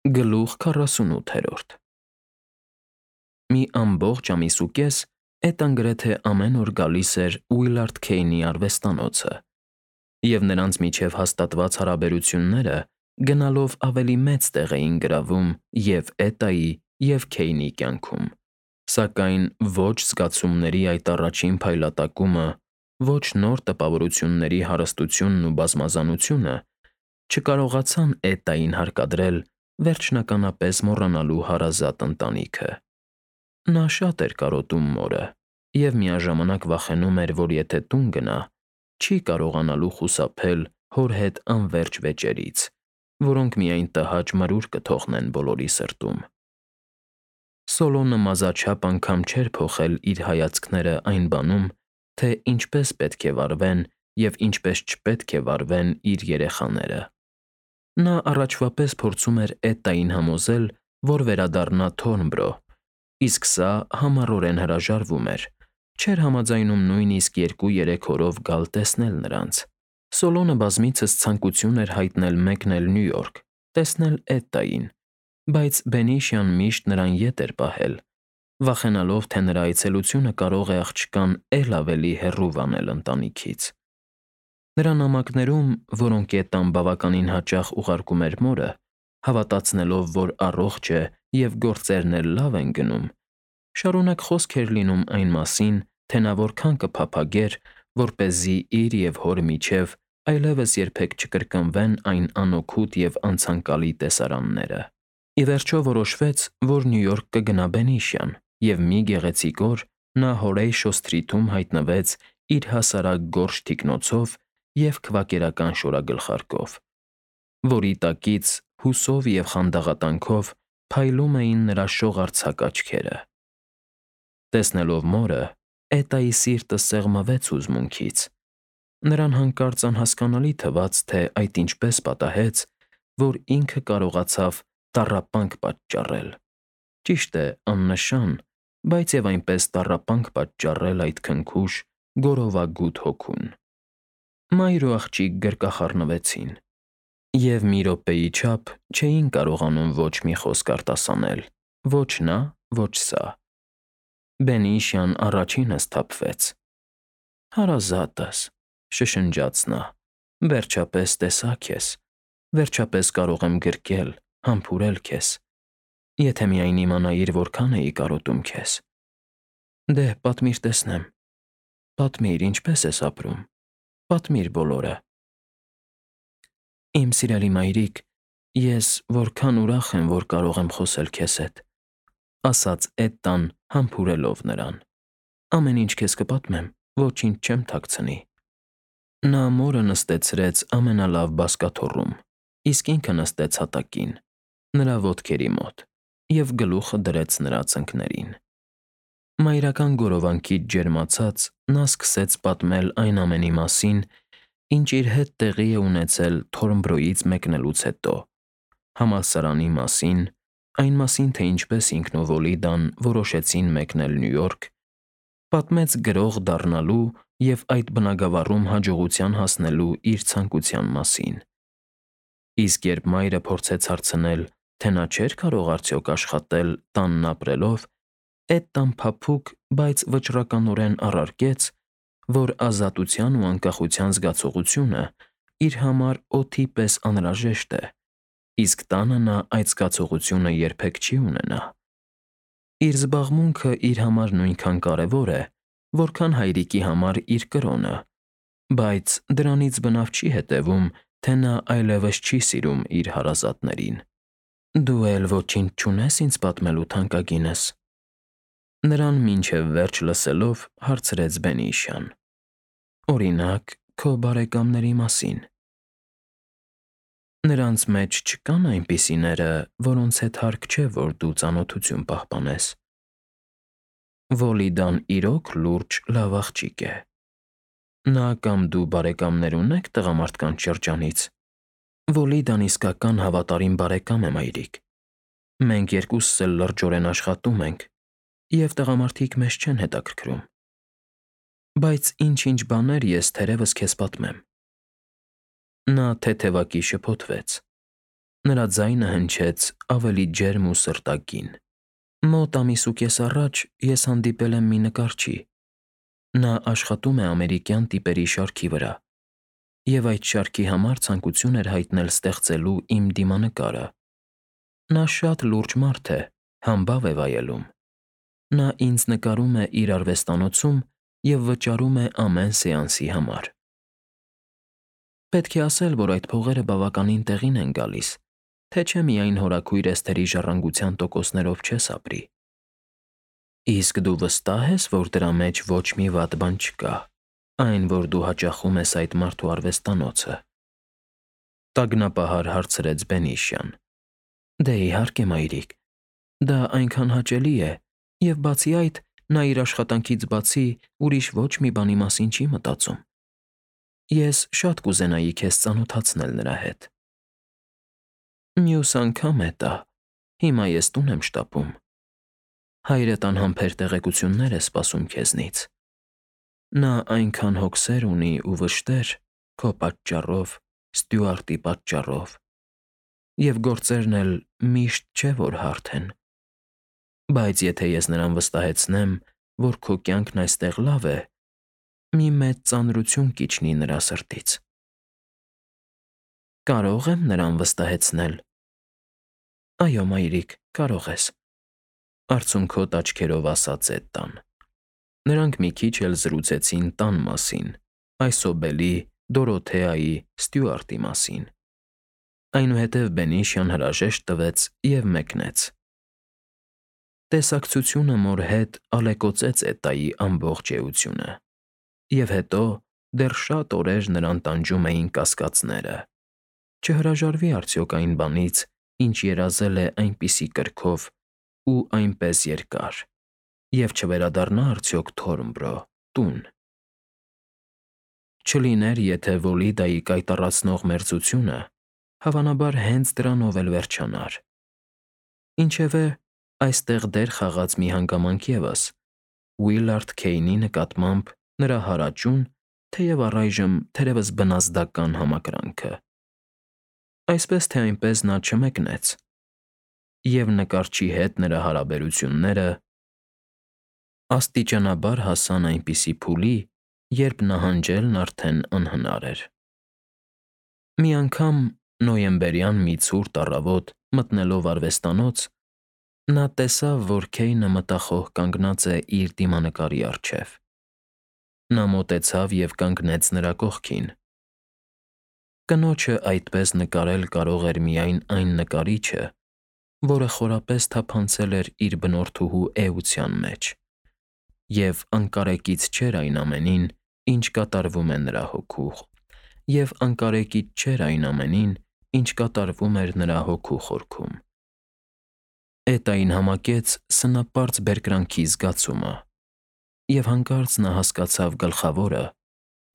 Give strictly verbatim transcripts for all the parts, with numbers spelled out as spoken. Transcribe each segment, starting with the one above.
Գլուխ քառասունութերորդ Մի ամբողջ ամիս ու կես Էտան գրեթե ամեն օր գալիս էր Ուիլարդ Քեյնի արվեստանոցը, և նրանց միջև հաստատված հարաբերությունները գնալով ավելի մեծ տեղ էին գրավում և՛ Էտայի, և՛ Քեյնի կյանքում, սակայն ոչ զգացումների այդ առաջին փայլատակումը, ոչ նոր տպավորությունների հարստությունն ու բազմազանությունը չկարողացան Էտային հարկադրել վերջնականապես մոռանալու հարազատ ընտանիքը։ Նա շատ էր կարոտում մորը և միաժամանակ վախենում էր, որ եթե տուն գնա, չի կարողանալու խուսափել հոր հետ անվերջ վեճերից, որոնք միայն տհաճ մրուր կթողնեն բոլորի սրտում։ Սոլոմոնը մազաչափ անգամ չէր փոխել իր հայացքները այն բանում, թե ինչպես պետք է վարվեն և ինչպես չպետք է վարվեն իր երեխաները։ Նա առաջվա պես փորձում էր Էտային համոզել, որ վերադառնա Թորնբրո, իսկ սա համառորեն հրաժարվում էր, չէր համաձայնում նույնիսկ երկու֊երեք օրով գալ տեսնել նրանց։ Սոլոմոնը բազմիցս ցանկություն էր հայտնել մեկնել Նյու Յորք, տեսնել Էտային, բայց բենիշյան միշտ նրան ետ էր պահել, վախենալով, թե նրա այցելությունը կարող է աղջկան էլ ավելի հեռու վանել ընտանիքից։ Նրա նամակներում, որոնք Էտան բավականին հաճախ ուղարկում էր մորը, հավատացնելով, որ առողջ է և գործերն էլ լավ են գնում, շարունակ խոսք էր լինում այն մասին, թե նա որքան կփափագեր, որպեսզի իր և հոր միջև այլևս երբեք չկրկնվեն այն անօգուտ և անցանկալի տեսարանները։ Ի վերջո որոշվեց, որ Նյու Յորք կգնա բենիշյան, և մի գեղեցիկ օր նա Հորեյշո Սթրիթում հայտնվեց իր հասարակ գորշ թիկնոցով և քվակերական շորագլխարկով, որի տակից հուսով և խանդաղատանքով փայլում էին նրա շողարձակ աչքերը։ Տեսնելով մորը՝ Էտայի սիրտը սեղմվեց հուզմունքից։ Նրան հանկարծ անհասկանալի թվաց, թե այդ ինչպես պատահեց, որ ինքը կարողացավ տառապանք պատճառել, ճիշտ է, աննշան, բայց և այնպես տառապանք պատճառել այդ քնքուշ, գորովագութ հոգուն։ Մայր ու աղջիկ գրկախառնվեցին, և մի րոպեի չափ չէին կարողանում ոչ մի խոսք արտասանել՝ ոչ նա, ոչ սա։ Բենիշյան առաջինը սթափվեց։ «Հարազատս», շշնջաց նա, «վերջապես տեսա քեզ, վերջապես կարող եմ գրկել, համբուրել քեզ։ Եթե միայն իմանայիր որքան էի կարոտում քեզ։ Դե, պատմիր տեսնեմ, պատմիր, ինչպե՞ս ես ապրում, պատմիր բոլորը»։ «Իմ սիրելի մայրիկ, ես որքան ուրախ եմ, որ կարող եմ խոսել քեզ հետ», ֊ ասաց Էտան, համբուրելով նրան։ «Ամեն ինչ քեզ կպատմեմ, ոչինչ չեմ թաքցնի»։ Նա մորը նստեցրեց ամենալավ բազկաթոռում, իսկ ինքը նստեց հատակին, նրա ոտքերի մոտ, և գլուխը դրեց նրա ծնկներին։ Մայրական գորովանքից ջերմացած՝ նա սկսեց պատմել այն ամենի մասին, ինչ իր հետ տեղի է ունեցել Թորնբրոյից մեկնելուց հետո, համալսարանի մասին, այն մասին, թե ինչպես ինքն ու Վոլիդան որոշեցին մեկնել Նյու Յորք, պատմեց գրող դառնալու և այդ բնագավառում հաջողության հասնելու իր ցանկության մասին։ Իսկ երբ մայրը փորձեց հարցնել, թե նա չէր կարող արդյոք աշխատել տանն ապրելով, Էտան փափուկ, բայց վճռականորեն առարկեց, որ ազատության ու անկախության զգացողությունը իր համար օդի պես անհրաժեշտ է, իսկ տանը նա այդ զգացողությունը երբեք չի ունենա։ Իր զբաղմունքը իր համար նույնքան կարևոր է, որքան հայրիկի համար իր կրոնը, բայց դրանից բնավ չի հետևում, թե նա այլևս չի սիրում իր հարազատներին։ Դու էլ ոչինչ չունե՞ս ինձ պատմելու, թանկագինս։ Նրան մինչև վերջ լսելով հարցրեց բենիշյան։ Օրինակ, քո բարեկամների մասին։ Նրանց մեջ չկա՞ն այնպիսիները, որոնց հետ հարկ չէ, որ դու ծանոթություն պահպանես։ Վոլիդան իրոք լուրջ, լավ աղջիկ է։ Նա կամ դու բարեկամներ ունե՞ք տղամարդկանց շրջանից։ Վոլիդան իսկական հավատարիմ բարեկամ է, մայրիկ։ Մենք երկուսս էլ լրջորեն աշխատում ենք, և տղամարդիկ մեզ չեն հետաքրքրում։ Բայց ինչ֊ինչ բաներ ես թերևս քեզ պատմեմ։ Նա թեթևակի շփոթվեց։ Նրա ձայնը հնչեց ավելի ջերմ ու սրտագին։ Մոտ ամիս ու կես առաջ ես հանդիպել եմ մի նկարչի։ Նա աշխատում է ամերիկյան տիպերի շարքի վրա, և այդ շարքի համար ցանկություն էր հայտնել ստեղծելու իմ դիմանկարը։ Նա շատ լուրջ մարդ է, համբավ է վայելում։ Նա ինձ նկարում է իր արվեստանոցում և վճարում է ամեն սեանսի համար։ Պետք է ասել, որ այդ փողերը բավականին տեղին են գալիս, թե չէ միայն հորաքույր Էսթերի ժառանգության տոկոսներով չես ապրի։ Իսկ դու վստահ ես, որ դրա մեջ ոչ մի վատ բան չկա, այն, որ դու հաճախում ես այդ մարդու արվեստանոցը։ Տագնապահար հարցրեց Բենիշյան։ Դե իհարկե, մայրիկ, դա այնքան հաճելի է, և բացի այդ, նա իր աշխատանքից բացի ուրիշ ոչ մի բանի մասին չի մտածում։ Ես շատ կուզենայի քեզ ծանոթացնել նրա հետ։ Մյուս անգամ է տա, հիմա ես տուն եմ շտապում։ Հայրդ անհամբեր տեղեկություններ է սպասում քեզնից։ Նա այնքան հոգսեր ունի ու վշտեր քո պատճառով, Ստյուարտի պատճառով, և գործերն էլ միշտ չէ, որ հարթ են։ Բայց եթե ես նրան վստահեցնեմ, որ քո կյանքն այստեղ լավ է, մի մեծ ծանրություն կիջնի նրա սրտից։ Կարո՞ղ եմ նրան վստահեցնել։ Այո, մայրիկ, կարող ես, արցունքոտ աչքերով ասաց Էդդան։ Նրանք մի քիչ էլ զրուցեցին տան մասին, Այսոբելի, Դորոթեայի, Ստյուարտի մասին։ Այնուհետև Բենիշյան հրաժեշտ տվեց և մեկնեց։ Տեսակցությունը մոր հետ ալեկոծեց Էդդայի ամբողջ էությունը, և հետո դեռ շատ օրեր նրան տանջում էին կասկածները. չհրաժարվի արդյոք այն բանից, ինչ երազել է այնպիսի կրքով ու այնպես երկար, և չվերադառնա արդյոք Թորնբրո, տուն։ Չլիներ, եթե Վոլիդայի կայտառացնող մերձությունը հավանաբար հենց դրանով էլ վերջանար։ Ինչևէ, այստեղ դեր խաղաց մի հանգամանք ևս՝ Ուիլարդ Քեյնի նկատմամբ նրա հարաճուն, թեև առայժմ թերևս բնազդական համակրանքը։ Այսպես թե այնպես նա չմեկնեց, և նկարչի հետ նրա հարաբերությունները աստիճանաբար հասան այնպիսի փուլի, երբ նահանջելն արդեն անհնար էր։ Մի անգամ, նոյեմբերյան մի ցուրտ առավոտ մտնելով արվեստանոց, նա տեսավ, որ Քեյնը մտախոհ կանգնած է իր դիմանկարի առջև։ Նա մոտեցավ և կանգնեց նրա կողքին։ Կնոջը այդպես նկարել կարող էր միայն այն նկարիչը, որը խորապես թափանցել էր իր բնորդուհու էության մեջ, և անկարեկից չէր այն ամենին, ինչ կատարվում է նրա հոգու, և անկարեկից չէր այն ամենին, ինչ կատարվում էր նրա հոգու խորքում։ Էդային համակեց սնապարծ բերկրանքի զգացումը, և հանկարծ նա հասկացավ գլխավորը,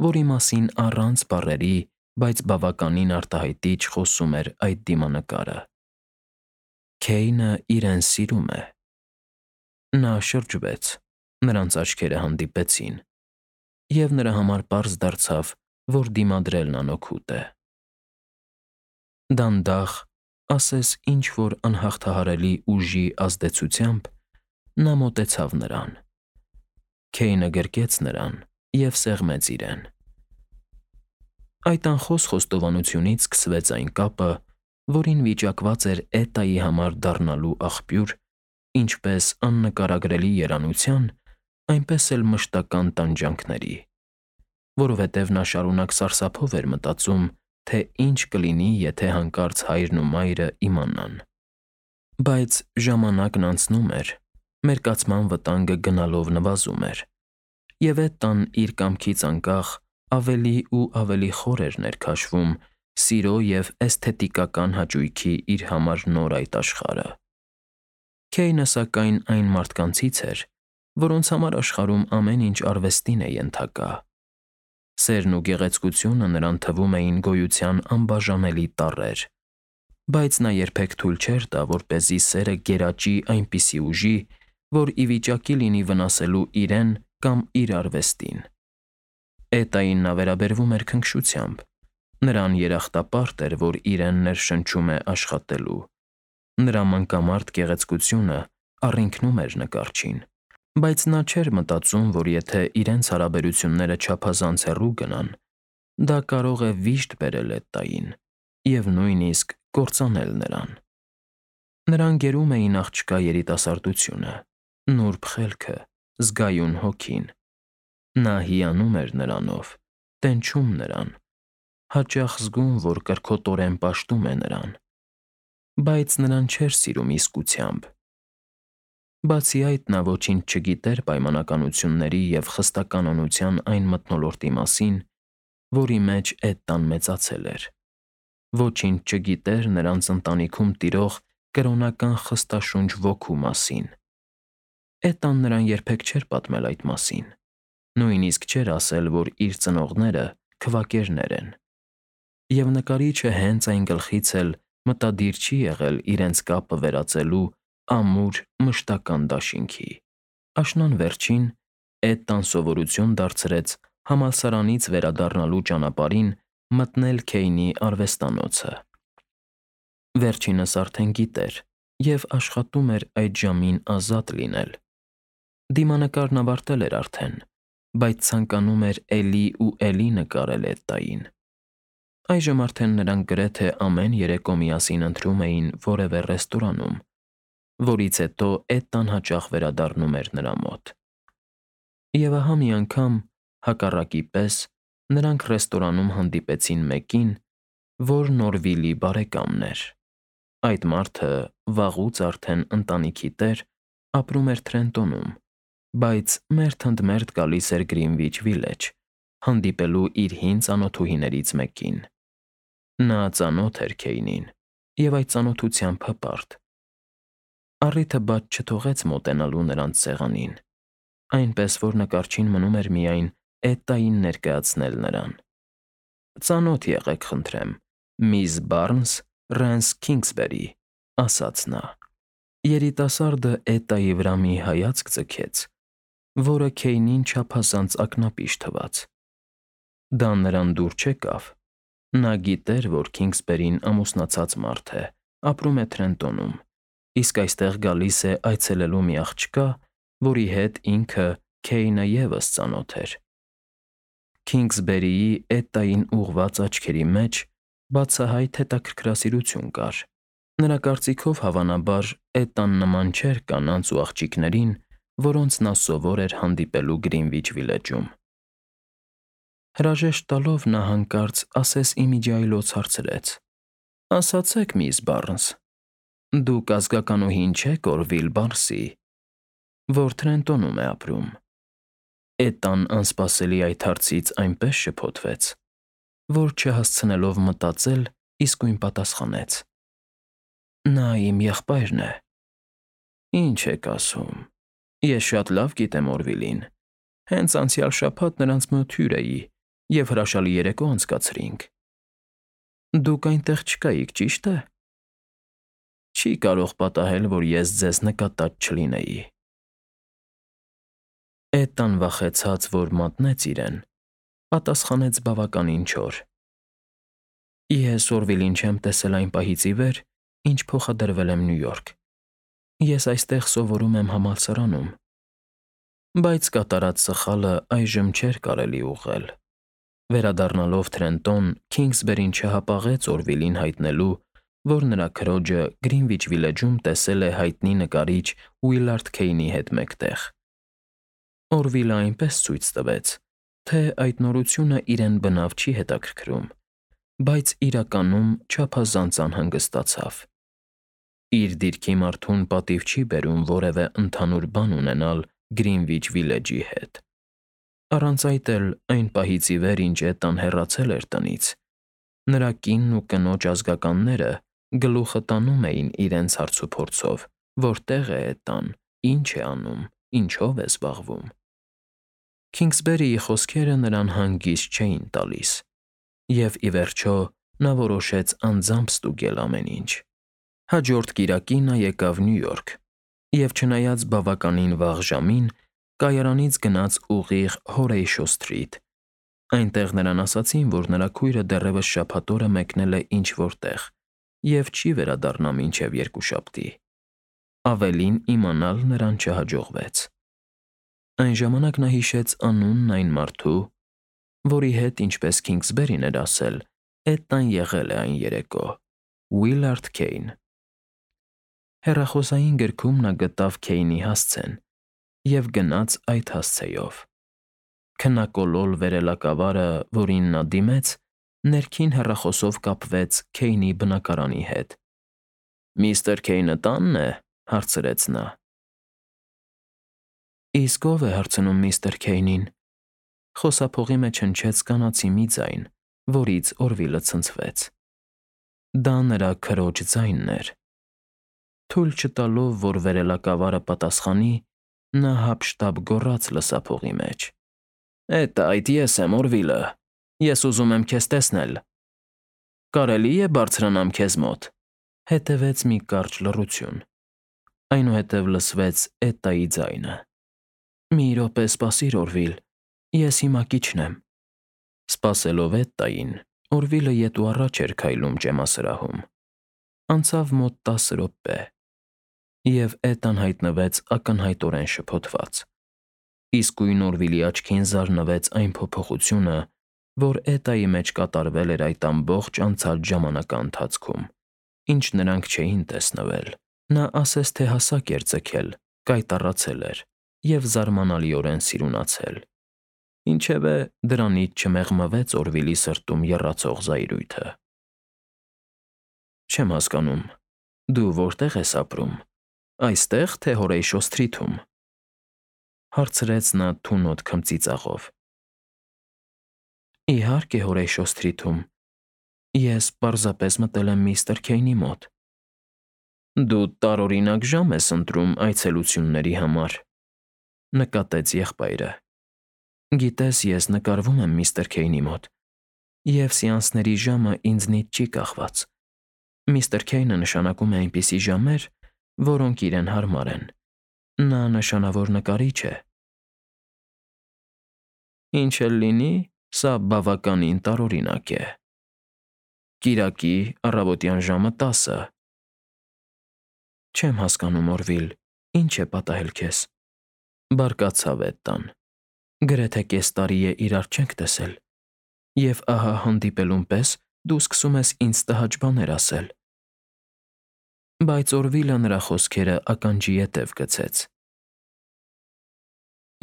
որի մասին առանց բառերի, բայց բավականին արտահայտիչ խոսում էր այդ դիմանկարը։ Քեյնը իրեն սիրում է։ Նա շրջվեց, նրանց աչքերը հանդիպեցին, և նրա համար պարզ դարձավ, որ դիմադրելն անօգուտ է։ Դանդաղ, ասես ինչ֊որ անհաղթահարելի ուժի ազդեցությամբ, նա մոտեցավ նրան։ Քեյնը գրկեց նրան և սեղմեց իրեն։ Այդ անխոս խոստովանությունից սկսվեց այն կապը, որին վիճակված էր Էդդայի համար դառնալու աղբյուր ինչպես աննկարագրելի երանության, այնպես էլ մշտական տանջանքների, որովհետև նա շարունակ սարսափով էր մտածում, թե ինչ կլինի, եթե հանկարծ հայրն ու մայրը իմանան։ Բայց ժամանակն անցնում էր, մերկացման վտանգը գնալով նվազում էր, և Էդդան իր կամքից անկախ ավելի ու ավելի խոր էր ներքաշվում սիրո և էսթետիկական հաճույքի իր համար նոր այդ աշխարհը։ Քեյնը, սակայն, այն մարդկանցից էր, որոնց համար աշխարհում ամեն ինչ արվեստին է ենթակա։ Սերն ու գեղեցկությունը նրան թվում էին գոյության անբաժանելի տառեր, բայց նա երբեք թույլ չէր տա, որպեսզի սերը գերաճի այնպիսի ուժի, որ ի վիճակի լինի վնասելու իրեն կամ իր արվեստին։ Էդդային նա վերաբերվում էր քնքշությամբ։ Նրան երախտապարտ էր, որ իրեն ներշնչում է աշխատելու։ Նրա մանկամարտ գեղեցկությունը առինքնում էր նկարչին, բայց նա չէր մտածում, որ եթե իրենց հարաբերությունները չափազանց հեռու գնան, դա կարող է վիշտ բերել Էտտային և նույնիսկ կործանել նրան։ Նրան գերում էին աղջկա երիտասարդությունը, նուրբ խելքը, զգայուն հոգին։ Նա հիանում էր նրանով, տենչում նրան, հաճախ զգում, որ կրքոտորեն պաշտում է նրան, բայց նրան չէր սիրում իսկությամբ։ Բացի այդ, նա ոչինչ չգիտեր պայմանականությունների և խստականանության այն մթնոլորտի մասին, որի մեջ Էտտան մեծացել էր։ Ոչինչ չգիտեր նրանց ընտանիքում տիրող կրոնական խստաշունչ ոգու մասին։ Էտտան նրան երբեք չէր պատմել այդ մասին, նույնիսկ չէր ասել, որ իր ծնողները քվակերներ են։ Եվ նկարիչը հենց այն գլխից էլ մտադիր չի եղել իրենց կապը վերածելու ամուր մշտական դաշինքի։ Աշնան վերջին Էտտան սովորություն դարձրեց համալսարանից վերադառնալու ճանապարհին մտնել Քեյնի արվեստանոցը։ Վերջինս արդեն գիտեր և աշխատում էր այդ ժամին ազատ լինել։ Դիմանկարն ավարտել էր արդեն, բայց ցանկանում էր էլի ու էլի նկարել Էտտային։ Այժմ արդեն նրանք գրեթե ամեն երեկո միասին ընթրում էին որևէ ռեստորանում, որից հետո Էտտան հաճախ վերադառնում էր նրա մոտ։ Եվ ահա մի անգամ, հակառակի պես, նրանք ռեստորանում հանդիպեցին մեկին, որ Նորվիլի բարեկամն էր։ Այդ մարդը վաղուց արդեն ընտանիքի տեր, ապրում էր Թրենտոնում, բայց մերթ ընդ մերթ գալիս էր Գրինվիչ Վիլեջ, հանդիպելու իր հին ծանոթուհիներից մեկին։ Նա ծանոթ էր Քեյնին և այդ ծանոթությամբ հպարտ։ Առիթը բաց չթողեց մոտենալու նրանց սեղանին, այնպես որ նկարչին մնում էր միայն Էտտային ներկայացնել նրան։ «Ծանոթ եղեք, խնդրեմ, միս Բարնս, Ռենս Քինգսբերի», ֊ ասաց նա։ Երիտասարդը Էտտայի վրա մի հայացք ձգեց, որը Քեյնին չափազանց ակնապիշ թվաց։ Դա նրան դուր չեկավ։ Նա գիտեր, որ Քինգսբերին ամուսնացած մարդ է, ապրում է Թրենտոնում, իսկ այստեղ գալիս է այցելելու մի աղջկա, որի հետ ինքը՝ Քեյնը ևս ծանոթ էր։ Քինգսբերիի Էտտային ուղղված աչքերի մեջ բացահայտ հետաքրքրասիրություն կար։ Նրա կարծիքով, հավանաբար, Էտտան նման չէր կանանց ու աղջիկներին, որոնց նա սովոր էր հանդիպելու Գրինվիչ Վիլեջում։ Հրաժեշտ տալով նա հանկարծ ասես-ի-միջիայլոց հարցրեց. «Ասացեք, միս Բարնս, դուք ազգականուհին չեք Օրվիլ Բարսի, որ Թրենտոնում է ապրում»։ Էտտան անսպասելի այդ հարցից այնպես շփոթվեց, որ չհասցնելով մտածել, իսկույն պատասխանեց. «Նա իմ եղբայրն է»։ «Ինչ եք ասում, ես շատ լավ գիտեմ Օրվիլին, հենց անցյալ շաբաթ նրանց մոտ հյուր էի և հրաշալի երեկո անցկացրինք։ Դուք այնտեղ չկայիք, ճիշտ է։ Չի կարող պատահել, որ ես ձեզ նկատած չլինեի»։ Էտտան վախեցած, որ մատնեց իրեն, պատասխանեց բավականին չոր. «Ես Օրվիլին չեմ տեսել այն պահից ի վեր, ինչ փոխադրվել եմ Նյու Յորք։ Ես այստեղ սովորում եմ համալսարանում»։ Բայց կատարած սխալը այժմ չէր կարելի ուղղել։ Վերադառնալով Թրենտոն, Քինգսբերին չհապաղեց Օրվիլին հայտնելու, որ նրա քրոջը Գրինվիչ Վիլեջում տեսել է հայտնի նկարիչ Ուիլարդ Քեյնի հետ մեկտեղ։ Օրվիլը այնպես ցույց տվեց, թե այդ նորությունը իրեն բնավ չի հետաքրքրում, բայց իրականում չափազանց անհանգստացավ։ Իր դիրքի մարդուն պատիվ չի բերում որևէ ընդհանուր բան ունենալ Գրինվիչ Վիլեջի հետ։ Առանց այդ էլ, այն պահից ի վեր, ինչ Էտտան հեռացել էր տնից, նրա կինն ու կնոջ ազգականները գլուխը տանում էին իրենց հարցուփորձով. որտե՞ղ է Էտտան, ինչ է անում, ինչով է զբաղվում։ Քինգսբերիի խոսքերը նրան հանգիստ չէին տալիս, և, ի վերջո, նա որոշեց անձամբ ստուգել ամեն ինչ։ Հաջորդ կիրակի նա եկավ Նյու Յորք և, չնայած բավականին վաղ ժամին, կայարանից գնաց ուղիղ Հորեյշո Սթրիթ, Այնտեղ նրան ասացին, որ նրա քույրը դեռևս շաբաթ օրը մեկնել է ինչ֊որ տեղ և չի վերադառնա մինչև երկուշաբթի։ Ավելին իմանալ նրան չհաջողվեց։ Այն ժամանակ նա հիշեց անունն այն մարդու, որի հետ, ինչպես Քինգսբերին էր ասել, Էդտան եղել է այն երեկո՝ Ուիլարդ Քեյն։ Հեռախոսային գրքում նա գտավ Քեյնի հասցեն և գնաց այդ հասցեով։ Քնակոլոլ վերելակավարը, որին նա դիմեց, ներքին հեռախոսով կապվեց Քեյնի բնակարանի հետ։ «Միստր Քեյնը տա՞նն է», հարցրեց նա։ «Իսկ ո՞վ է հարցնում միստր Քեյնին», խոսափողի մեջ հնչեց կանացի մի ձայն, որից Օրվիլը ցնցվեց։ Դա նրա քրոջ ձայնն էր։ Թույլ չտալով, որ վերելակավարը պատասխանի, նա հափշտապ գոռաց լսափողի մեջ. «Էդ այդ ես եմ, Օրվիլը, ես ուզում եմ քեզ տեսնել։ Կարելի է բարձրանամ քեզ մոտ»։ Հետևեց մի կարճ լռություն։ Այնուհետև լսվեց Էդտայի ձայնը. «Մի րոպե սպասիր, Օրվիլ, ես հիմա կիջնեմ»։ Սպասելով Էդտային, Օրվիլը ետ ու առաջ էր քայլում ճեմասրահում։ Անցավ մոտ տասը րոպե, և Էդտան հայտնվեց ակնհայտորեն շփոթված։ Իսկույն Օրվիլի աչքին զարնվեց այն փոփոխությունը, որ Էդտայի մեջ կատարվել էր այդ ամբողջ անցած ժամանակը ընթացքում, ինչ նրանք չէին տեսնվել։ Նա ասես թե հասակ էր ձգել, կայտառացել էր և զարմանալիորեն սիրունացել։ Ինչևէ, դրանից չմեղմվեց Օրվիլի սրտում եռացող զայրույթը։ «Չեմ հասկանում, դու որտե՞ղ ես ապրում, այստե՞ղ, թե Հորեյշո Սթրիթում», հարցրեց նա թունոտ քմծիծաղով։ «Իհարկե, Հորեյշո Սթրիթում, ես պարզապես մտել եմ միստր Քեյնի մոտ»։ «Դու տարօրինակ ժամ ես ընտրում այցելությունների համար», նկատեց եղբայրը։ «Գիտես, ես նկարվում եմ միստր Քեյնի մոտ, և սեանսների ժամը ինձնից չի կախված։ Միստր Քեյնը նշանակում է այնպիսի ժամեր, որոնք իրեն հարմար են։ Նա նշանավոր նկարիչ է»։ «Ինչ էլ լինի, սա բավականին տարօրինակ է։ Կիրակի, առավոտյան ժամը տասը»։ «Չեմ հասկանում, Օրվիլ, ինչ է պատահել քեզ», բարկացավ Էդտան։ «Գրեթե կես տարի է իրար չենք տեսել, և ահա հանդիպելուն պես դու սկսում ես ինձ տհաճ բաներ ասել»։ Բայց Օրվիլը նրա խոսքերը ականջի ետև գցեց։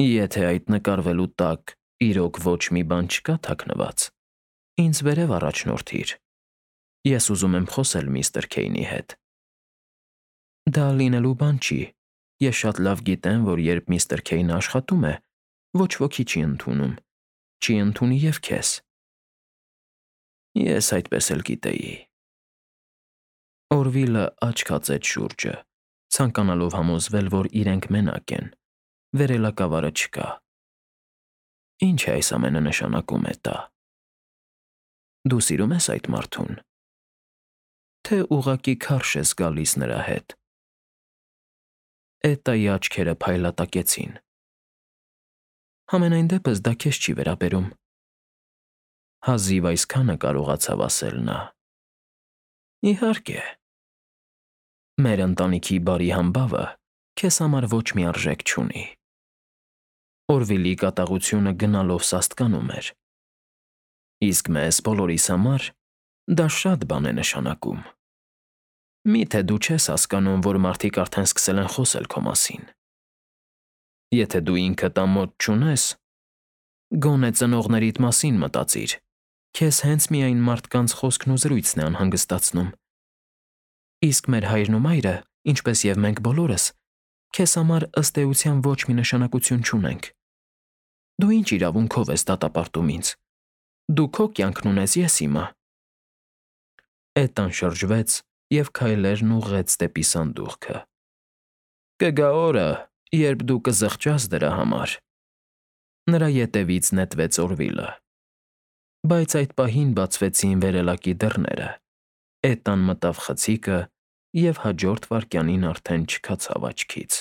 «Եթե այդ նկարվելու տակ իրոք ոչ մի բան չկա թաքնված, ինձ վերև առաջնորդիր։ Ես ուզում եմ խոսել միստր Քեյնի հետ»։ «Դա լինելու բան չի, ես շատ լավ գիտեմ, որ երբ միստր Քեյնը աշխատում է, ոչ ոքի չի ընդունում, չի ընդունի և քեզ»։ «Ես այդպես էլ գիտեի»։ Օրվիլը աչք հացեց շուրջը, ցանկանալով համոզվել, որ իրենք մենակ են, վերելակավարը չկա։ «Ինչ է այս ամենը նշանակում, Էդտա։ Դու սիրում ես այդ մարդուն, թե ուղղակի քարշ ես գալիս նրա հետ»։ Էդտայի աչքերը փայլատակեցին։ «Համենայն դեպս դա քեզ չի վերաբերում», հազիվ այսքանը կարողացավ ասել նա։ «Իհարկե, մեր ընտանիքի բարի համբավը քեզ համար ոչ մի արժեք չունի»։ Օրվիլի կատաղությունը գնալով սաստկանում էր։ «Իսկ մեզ բոլորիս համար դա շատ բան է նշանակում։ Մի՞թե դու չես հասկանում, որ մարդիկ արդեն սկսել են խոսել քո մասին։ Եթե դու ինքդ ամոթ չունես, գոնե ծնողներիդ մասին մտածիր, քեզ հենց միայն մարդկանց խոսքն ու զրույցն է անհանգստացնում։ Իսկ մեր հայրն ու մայրը, ինչպես և մենք բոլորս, քեզ համար ըստ էության ոչ մի նշանակություն չունենք։ Դու ինչ իրավունքով ես դատապարտում ինձ։ Դու քո կյանքն ունես, ես իմը»։ Էդտան շրջվեց և քայլերն ուղղեց դեպի սանդուղքը։ «Կգա օրը, երբ դու կզղջաս դրա համար»։ Նրա ետևից նետվեց Օրվիլը։ Բայց այդ պահին բացվեցին վերելակի դռները։ Էդտան մտավ խցիկը և հաջորդ վայրկյանին արդեն չքացավ աչքից։